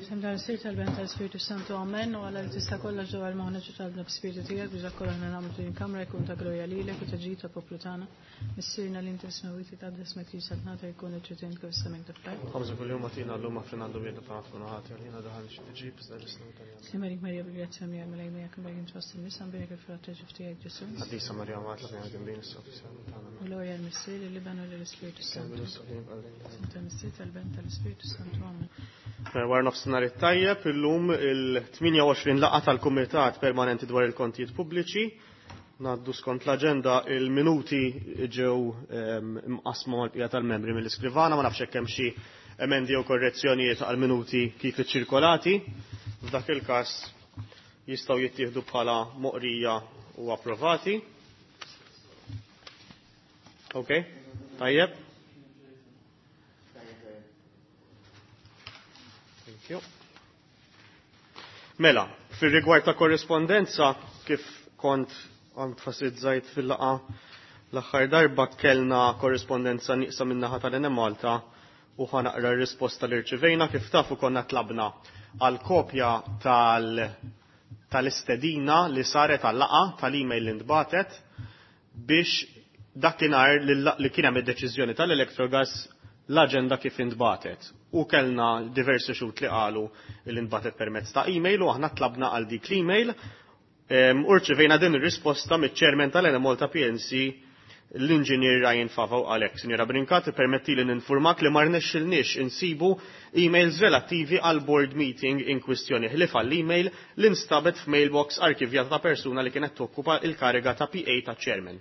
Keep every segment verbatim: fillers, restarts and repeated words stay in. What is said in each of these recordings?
F'isem tal-Missier, tal-Iben, tal-Ispirtu Santu, amen. U Alla li tista' kollox dwar moħħna ġu talbna b'spirtu tiegħek biex dak kollha aħna nagħmlu din il-kamra jkun ta' glorja lilek u ta' ġid tal-poplu tagħna. Missierna li inti fis-smewwiet titqaddes ismek tiġi saltnatek jkun it-trid kif is-sema kif fl-art. Ħamsa kuljum agħtina llum aħfrilna dnubietna bħalma tkunu ħati għalina daħal xi tiġib iżda ħlisna mit-taljan. Sliem għalik Marija bil-grazzja mimlija l-Mulej miegħek imbarka int fost in-nisa mbierek il-frott tal-ġuf tiegħek Ġesù. Qaddisa Marija Omm Alla aħna midinbin issa u fis-siegħa tagħna. U glorja l-Missier, lill-Iben u lill-Ispirtu Kemm Santu. bilu F'isem tal-Missier, tal-Iben, tal-Ispirtu Santu, amen. Wara nofsinhar it-tajjeb illum il-tmienja u għoxrin laqgħa tal-Kumitat Permanenti dwar il-Kontijiet Pubbliċi. Ngħaddu skont l-aġenda, il-minuti ġew imqasma mal-bqija tal-membri mill-iskrivana, ma nafx hekk hemm xi emendi jew korrezzjonijiet għal minuti kif iċċirkolati. F'dak il-każ jistgħu jittieħdu bħala moqrija u approvati. Ok, tajjeb. Thank you. Mela, fil-rigward ta' korrespondenza, kif kont enfasizzajt fil-laqa l-aħħar darba, kellna korrespondenza nieqsa min-naħa tal-Enemalta u ħanaqra r-risposta li rċivejna. Kif tafu konna tlabna għal kopja tal- tal-istedina li saret għal-laqa tal-email li ntbatet biex dakinhar li kien hemm id-deċiżjoni tal-Electrogas l-aġenda kif intbatet. U kellna diversi xhud li qalu li ntbatet permezz ta' email u aħna tlabna għal dik l-email. U rċivejna din ir-risposta miċ-chairman tal-Enemalta P L C, l-inġinier Ryan Fava, u għalhekk, Sinjora Brincat, permetti li ninformak li ma rnexxilniex insibu emails relattivi għal board meeting in kwistjoni ħlief għall-email li nstabet f'mailbox arkivjata ta' persuna li kienet tokkupa il-kariga ta' P A ta' chairman,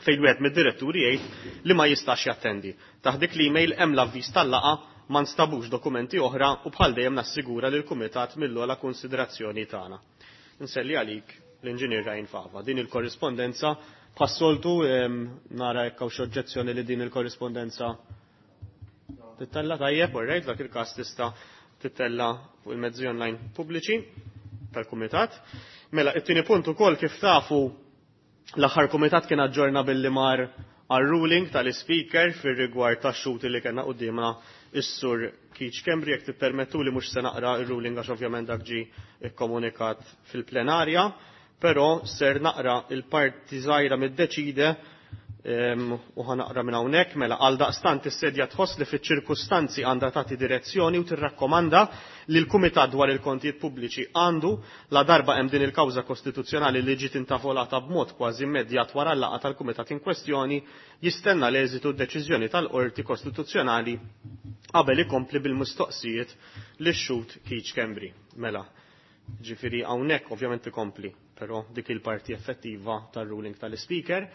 fejn wieħed mid-diretturi jgħid li ma jistax jattendi. Taħt dik l-email hemm l-avviż tal-laqa, ma nstabux dokumenti oħra u bħal dejjem nassigura lil kumitat mill-ogħla konsiderazzjoni tagħna. Nselli għalik l-inġinier Ryan Fava. Din il-korrispondenza bħas-soltu, nara jekk hawn xi oġġezzjoni li din il-korrispondenza tittella. Tajjeb, all right, dak il-każ tista' tittella fuq il-mezzi online pubbliċi tal-kumitat. Mela, it-tieni punt ukoll, kif tafu, l-aħħar kumitat kien aġġorna billi mar għal-ruling tal-speaker fir-rigward tax-xhud li kellna quddiemna, is-sur Keith Schembri. Jekk tippermettu li mhux se naqra ir-ruling għax ovvjament dak ġie ikkomunikat fil-plenarja, però ser naqra il-parti żgħira mid-deċide u ħanaqra minn hawnhekk. Mela, għal daqstant is-sedja tħoss li fiċ-ċirkustanzi għandha tagħti direzzjoni u tirrakkomanda li l-Kumitat dwar il-Kontijiet Pubbliċi għandu, la darba hemm din il-kawża kostituzzjonali li ġiet intavolata b'mod kważi immedjat wara l-laqgħa tal-Kumitat in kwestjoni, jistenna l-eżitu d-deċiżjoni tal-Qorti Kostituzzjonali qabel ikompli bil-mistoqsijiet lix-xhud Keith Schembri. Mela, ġifieri hawnhekk ovvjament ikompli, però dik il-parti effettiva tar-ruling tal-Speaker.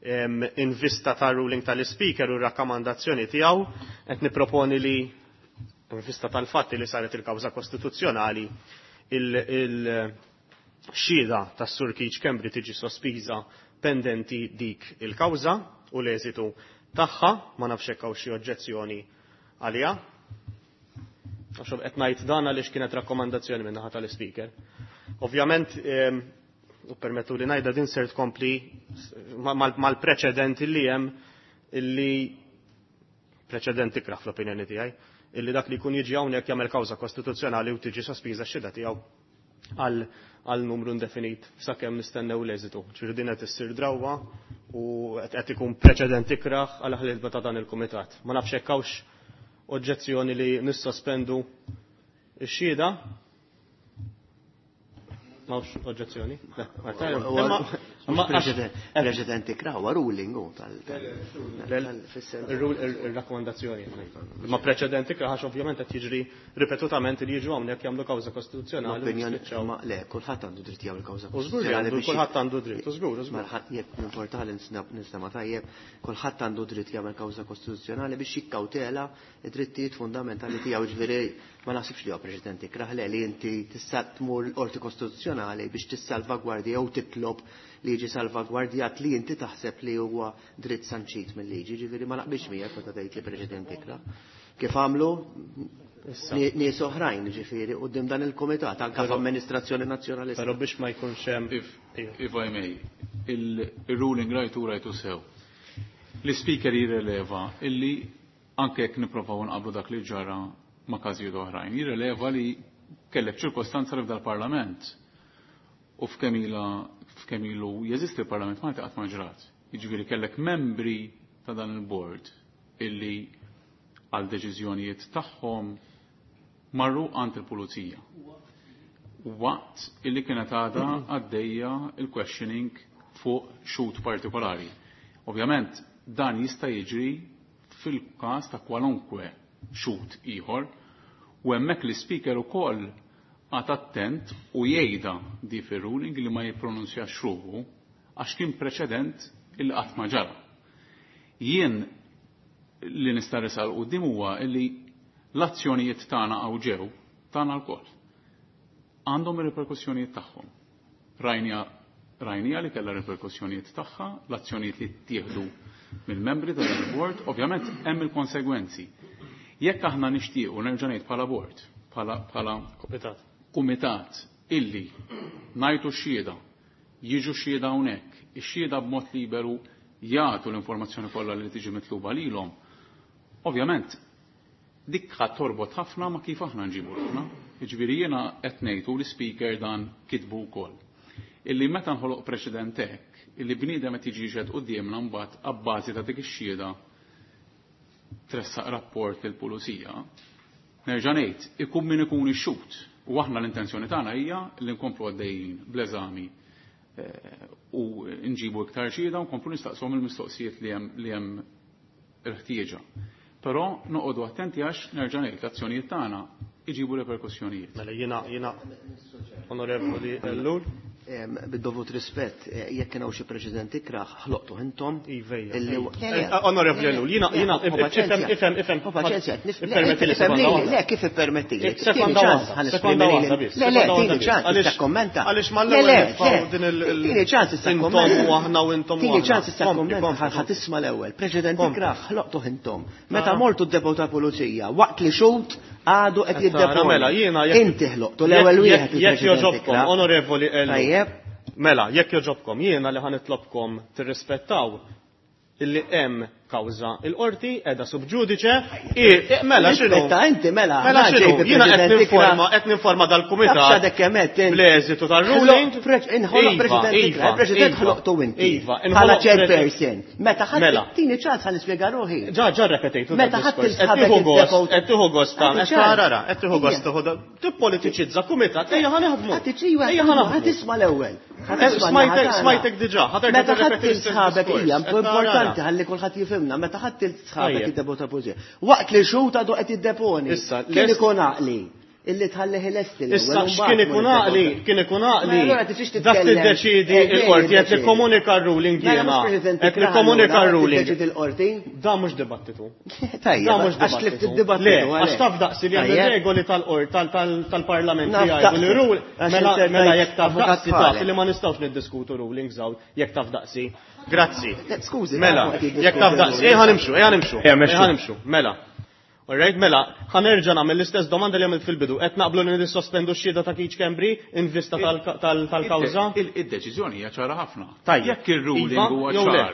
In vista ta' ruling tal-Speaker u rakkomandazzjoni tiegħu, qed niproponi li in vista tal-fatti li saret il-kawża kostituzzjonali, il-xhieda tas-Sur Keith Schembri tiġi sospiża pendenti dik il-kawża u l-eżitu tagħha. Ma nafx hekk hawn xi oġġezzjoni għaliha. Għax qed ngħid dan għaliex kienet rakkomandazzjoni minn naħa tal-Speaker. Ovvjament, u permettu li ngħidha, din ser tkompli mal-preċedenti li hemm, illi preċedenti ikrah fl-opinjoni tiegħi, illi dak li jkun jiġi hawnhekk jagħmel kawża kostituzzjonali u tiġi sospiża x-xhieda tiegħu għal għal numru indefinit sakemm nistennew l-eżitu. Ġifieri din qed issir drawwa u qed ikun preċedent ikrah għal ħidma ta' dan il-kumitat. Ma nafx hekk hawnx oġġezzjoni li nissospendu x-xhieda. M'hawnx oġġezzjoni? Preċedent ikrah huwa ruling u tal Il-rakkomandazzjoni. Ma preċedent ikrah għax ovvjament qed jiġri ripetutament li jiġu hawnhekk jagħmlu kawża kostituzzjonali. Opinjoni, ma le, kulħadd għandu dritt jagħmel kawża U żgur li għandu, kulħadd għandu dritt, u żgur, u żgur. Jekk importanti nistema' tajjeb, kulħadd għandu dritt jagħmel kawża kostituzzjonali biex jikkawtela id-drittijiet fundamentali tiegħu, ġifieri ma naħsibx li huwa preċedent ikrah le li inti tista' tmur l-qorti kostituzzjonali biex tissalvagwardja jew titlob li jiġi salvagwardjat li inti taħseb li huwa dritt sanċit mill-liġi, ġifieri ma naqbilx miegħek meta tgħid li preċedent ikrah. Kif għamlu nies oħrajn, ġifieri quddiem dan il-kumitat anke f'amministrazzjoni nazzjonalista. Però biex ma jkunx hemm If, if I may, il-ruling rajtu rajtu sew. L-speaker jirreleva illi anke jekk nipprovaw nqablu dak li ġara ma' każijiet oħrajn. Jirreleva li kellek ċirkostanza li f'dal-Parlament u f'kemm ilha f'kemm ilu jeżisti l-Parlament Malti qatt ma ġrat. Jiġifieri kellek membri ta' dan il-board illi għal deċiżjonijiet tagħhom marru għand il-pulizija. Waqt illi kienet għadha għaddejja il-questioning fuq xhud partikolari. Ovvjament dan jista' jiġri fil-każ ta' kwalunkwe xhud ieħor u hemmhekk l-speaker ukoll għad attent u jgħidha di fir-ruling li ma jippronunzjax ruħu għax kien preċedent illi qatt ma ġara. Jien li nista' resal quddiem huwa illi l-azzjonijiet tagħna hawn ġew tagħna lkoll. Għandhom ir-riperkussjonijiet tagħhom. Rajnija rajnija li kellha riperkussjonijiet tagħha, l-azzjonijiet li ttieħdu mill-membri ta' dan il-board, ovvjament hemm il-konsegwenzi. Jekk aħna nixtiequ nerġa' ngħid bħala board, bħala bħala Kumitat. kumitat illi ngħidu x-xhieda, jiġu x-xhieda hawnhekk, ix-xhieda b'mod liberu jagħtu l-informazzjoni kollha li tiġi mitluba lilhom. Ovvjament, dik ħadd torbot ħafna ma kif aħna nġibu ruħna. Jiġifieri jiena qed ngħidu l-speaker dan kitbu wkoll. Illi meta nħoloq preċedent hekk, illi bniedem qed jiġi jixhed quddiemna mbagħad abbażi ta' dik ix-xhieda tressaq rapport lill-pulizija, nerġa' ngħid, ikun min ikun ix-xhud. U aħna l-intenzjoni tagħna hija li nkomplu għaddejjin bl-eżami eh, u nġibu iktar xhieda u nkomplu nistaqshom il-mistoqsijiet li hemm li hemm il-ħtieġa. Però noqogħdu attenti għax nerġa' ngħid l-azzjonijiet tagħna iġibu reperkussjonijiet. Mela jiena jiena Onorevoli Ellul. Em, Bid-dovut rispett, eh, jekk kien hawn xi preċedent ikraħ, ħloqtu intom. Ivejja. illi- Eh, Onorevoli Ellul, jiena jiena Ho paċenzja. ifhem ifhem ifhem. Ho paċenzja, nif- le, Ippermetti li ifhem sekonda lili, waħda. Le, kif ippermetti? Eh, sekonda waħda, sekonda waħda biss. Le, le, sekonda tini waħda biss. ċans, Għaliex- issa kommenta. Għaliex Le, mal-ewwel le, nitfgħu le, din il- il- Tini ċans issa intom kommenta. u aħna u intom u Tini aħna. ċans issa Kompli, kommenta, kompli, ħa tisma' l-ewwel. Preċedent Kompli. ikraħ, ħloqtu intom. Meta mortu d-depot ta' pulizija, waqt li xhud għadu qed Tara, jiddeponi. mela, jiena jekk- Inti ħloqtu l-ewwel jekk- wieħed Jekk il-preċedent joġobkom, ikraħ. onorevoli Ellul. Tajjeb. Mela, jekk joġobkom, jiena li ħa nitlobkom tirrispettaw illi hemm kawża il-qorti qiegħda sub judice, i- mela x'inhu? Rispetta inti, mela. Mela aħna x'inhu? ġejt Jiena qed il-president ninforma, ikraħ. qed ninforma dal-kumitat. Taf x'għadek kemm għedt int. Bl-eżitu tal-ruling. Ħloq preċ- Inħoloq Iva, president iva, ikraħ. Il-president iva, ħloqtu inti. Iva, Bħala inħoloq chairperson. Meta ħadd Mela. tini ċans ħa nispjega ruħi. Ġa, ġa repetejtu Meta dan ħadd id-diskors. Qed il-sħabek tieħu gost, id-depot- qed tieħu gost ta' Għati qed ċans. tara, qed tieħu gost Ija. tieħu da- tippolitiċizza kumitat, ejja ħa naħdmu. Ħadd iċiwa, Ejja ħa naħdmu. ħadd isma' l-ewwel. Ħadd Eh, isma' smajtek- n-naħa tagħna. smajtek diġà, ħa terġa' Meta ħadd tirrepeti l-istess il-sħabek diskors. hija Qed tara. importanti ħalli kulħadd jifhimna, meta ħadd il-sħabek Tajjeb. id-depot ta' pulizija. Waqt li xhud għadu qed jiddeponi. Issa, Kien lest- ikun għaqli illi tħallih lesti l-ewwel. Issa u mbagħad x'kien ikun tmur id-depot għaqli, ta' kien ikun għaqli. Mela, allura tiġix Dak titkellem. tiddeċidi Eh, il-qorti qed jiddeċiedi. nikkomunika r-ruling Mela jiena. mhux president Qed ikraħ nikkomunika allura, r-ruling. tiddeċiedi l-qorti. Da mhux dibattitu. Tajjeb, Da mhux għax tlift dibattitu. id-dibattitu. Le, għax għalhekk. taf daqsi li hemm Tajjeb. regoli tal-qor tal-parlament li Naf jgħidu li daqsi. rule Għax mela inti mela tajt jekk taf avukat daqsi taf bħalek. li ma nistgħux niddiskutu rulings hawn jekk taf daqsi. Grazzi. Eh, Skużi, Mela, nafu qed jiddiskutu jekk taf daqsi, ejja nimxu, ejja nimxu. Ejja, mexxu. Ejja nimxu, mela. Alright, mela, ħa nerġa' nagħmel l-istess domanda li għamilt fil-bidu. Qed naqblu li nissospendu x-xhieda ta' Keith Schembri in vista tal-kawża? Id-deċiżjoni hija ċara ħafna. Tajjeb. Jekk ir-ruling Iva, huwa jew le? ċar.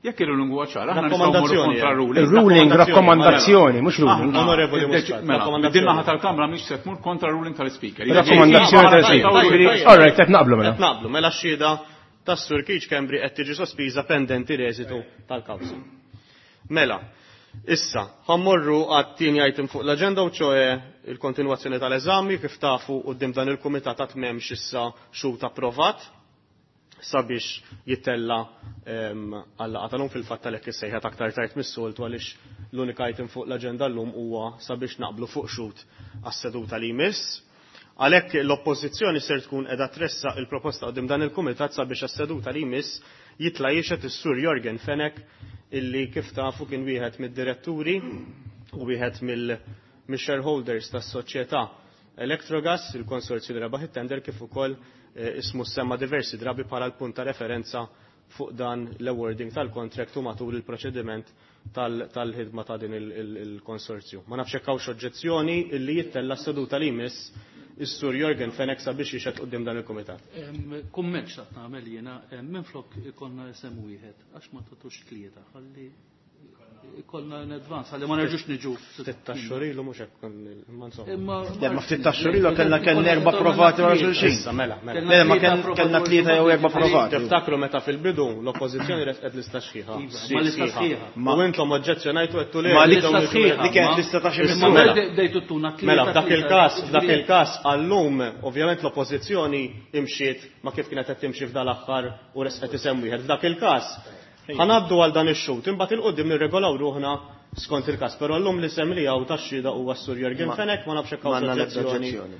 Jekk ir-ruling huwa ċar, aħna nistgħu mmorru Rakkomandazzjoni, kontra eh. ruling. Il-ruling rakkomandazzjoni, mhux ruling. Aħna, Onorevoli id-deċi- Muscat, Mela, rakkomandazzjoni. din naħa tal-Kamra mhix se tmur kontra ruling tal-Speaker. Rakkomandazzjoni tal-Speaker. Tajjeb, tajjeb. All right, qed naqblu mela. Qed naqblu, mela x-xhieda tas-Sur Keith Schembri qed tiġi sospiża pendenti l-eżitu tal-kawża. Mela, issa, ħa mmorru għat-tieni item fuq l-aġenda u ċoe il-kontinwazzjoni tal-eżami kif tafu quddiem dan il-kumitat għad m'hemmx issa xhud approvat sabiex jittella għal-laqgħa tal-lum fil-fatt għalhekk issejħet aktar tard mis-soltu għaliex l-unika item fuq l-aġenda llum huwa sabiex naqblu fuq xhud għas-seduta li jmiss. Għalhekk l-oppożizzjoni ser tkun qiegħda tressaq il-proposta quddiem dan il-kumitat sabiex għas-seduta li jmiss jitla' jixhed is-Sur Yorgen Fenech illi kif tafu kien wieħed mid-diretturi u wieħed mill-shareholders tas-soċjetà Electrogas, il-konsorzju li rebaħ it-tender kif ukoll eh, ismu semma diversi drabi bħala l-punt ta' referenza fuq dan l-awarding tal-contract u matul il-proċediment tal-ħidma ta' din il-konsorzju. Ma nafx hekk hawnx oġġezzjoni illi jittella s-seduta li jmiss is-Sur Yorgen Fenech sabiex jixhed quddiem dan il-kumitat. Kumment xtaqt nagħmel jiena, minflok ikollna isem wieħed, għax ma tagħtux tlieta, ħalli ikollna in advance, għalli ma nerġux niġu. Ftit tax-xhur ilu mhux hekk imma insomma. Imma Le, ma ftit tax-xhur ilu kellna kellna erba' provati wara xulxin. Issa mela, mela. Le, ma kellna tlieta jew erba' provati. Tiftakru meta fil-bidu l-oppożizzjoni resqet lista sħiħa. Iva, ma lista sħiħa. U intom oġġezzjonajtu għedtu le. Ma lista dawn sħiħa. Dik kienet lista ta' xi Imma Mela. dejtu tuna tlieta. Mela, f'dak tlieta, il-każ, f'dak ġifieri- il-każ għallum, ovvjament l-oppożizzjoni imxiet ma kif kienet qed timxi f'dal aħħar u resqet isem wieħed. F'dak il-każ ħanaddu għal dan ix-xhud, imbagħad il-qudiem nirregolaw ruħna skont il-każ, però llum l-isem li hawn tax-xhieda huwa s-Sur Jurgen Fenech, ma nafx hekk hawn M'għandna l-ebda oġġezzjoni. oġġezzjoni.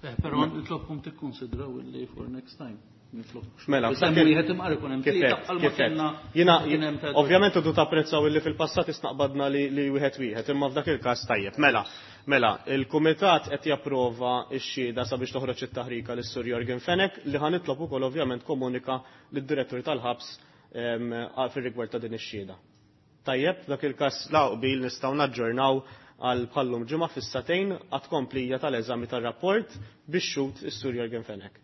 Eh, Però nitlobkom tikkonsidraw illi for next time. Nitlob. Mela, Isem f'dak il- wieħed imqar ikun hemm Kif tlieta qed, bħalma kif qed. kellna Jiena kien hemm ta' ovvjament udu tapprezzaw illi fil-passat isnaqbadna li, li wieħed wieħed, imma f'dak il-każ tajjeb. Mela, mela, il-kumitat qed japprova x-xhieda sabiex toħroġ it-taħrika lis-Sur Jorgen Fenech li ħa nitlob ukoll ovvjament komunika lid-direttur tal-ħabs em, fir-rigward ta' din ix-xhieda. Tajjeb, f'dak il-każ la qbil nistgħu naġġornaw għal bħallum ġimgħa fis-sagħtejn għat komplija tal-eżami tar-rapport biex xhud is-Sur Jorgen Fenech.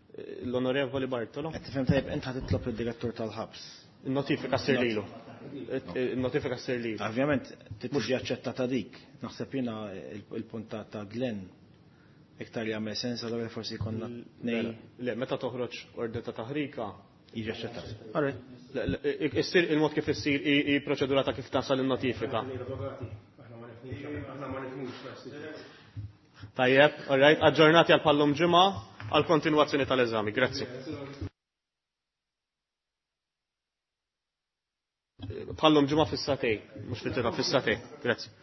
L-Onorevoli Bartolo. Qed tifhem tajjeb int ħa titlob id-direttur tal-ħabs. Il-notifika ssir lilu. Il-notifika ssir lilu. Ovvjament tiġi aċċettata dik. Naħseb jiena il-punt ta' ta' Glenn iktar jagħmel sens allura forsi jkollna tnejn Le, meta toħroġ ordni ta' taħrika, jiġi aċċettat. All right. le, le, issir il-mod kif issir i i proċedura ta' kif tasal il-notifika. Tajjeb, all right, aġġornati għal pallum ġimgħa għal kontinwazzjoni tal-eżami. Grazzi. Bħallum ġimgħa fis-sagħtejn, mhux fit-tira fis-sagħtejn. Grazzi.